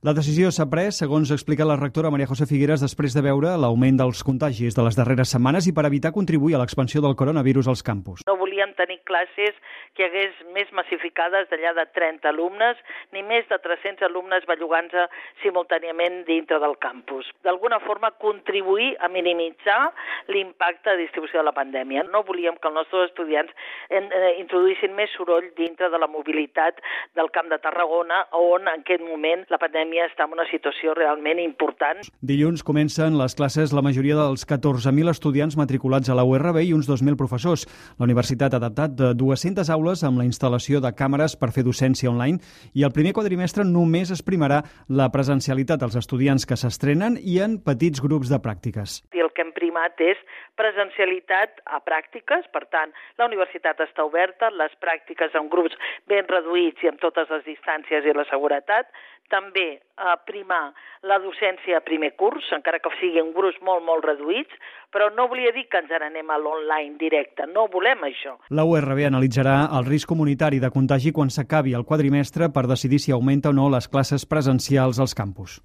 La decisió s'ha pres, segons explica la rectora María José Figueras, després de veure l'augment dels contagis de les darreres setmanes i per evitar contribuir a l'expansió del coronavirus als campus. No volíem tenir classes que hi hagués més massificades d'allà de 30 alumnes, ni més de 300 alumnes bellugant-se simultàniament dintre del campus. D'alguna forma, contribuir a minimitzar l'impacte de distribució de la pandèmia. No volíem que els nostres estudiants introduïssin més soroll dintre de la mobilitat del Camp de Tarragona, on en aquest moment la pandèmia està en una situació realment important. Dilluns comencen les classes la majoria dels 14.000 estudiants matriculats a la URB i uns 2.000 professors. La universitat ha adaptat 200 aules amb la instal·lació de càmeres per fer docència online i el primer quadrimestre només es primarà la presencialitat dels estudiants que s'estrenen i en petits grups de pràctiques. I el que hem primat és presencialitat a pràctiques, per tant, la universitat està oberta, les pràctiques en grups ben reduïts i amb totes les distàncies i la seguretat, també primar la docència a primer curs, encara que sigui en grups molt reduïts, però no volia dir que ens n'anem a l'online directe, no volem això. La URB analitzarà el risc comunitari de contagi quan s'acabi el quadrimestre per decidir si augmenta o no les classes presencials als campus.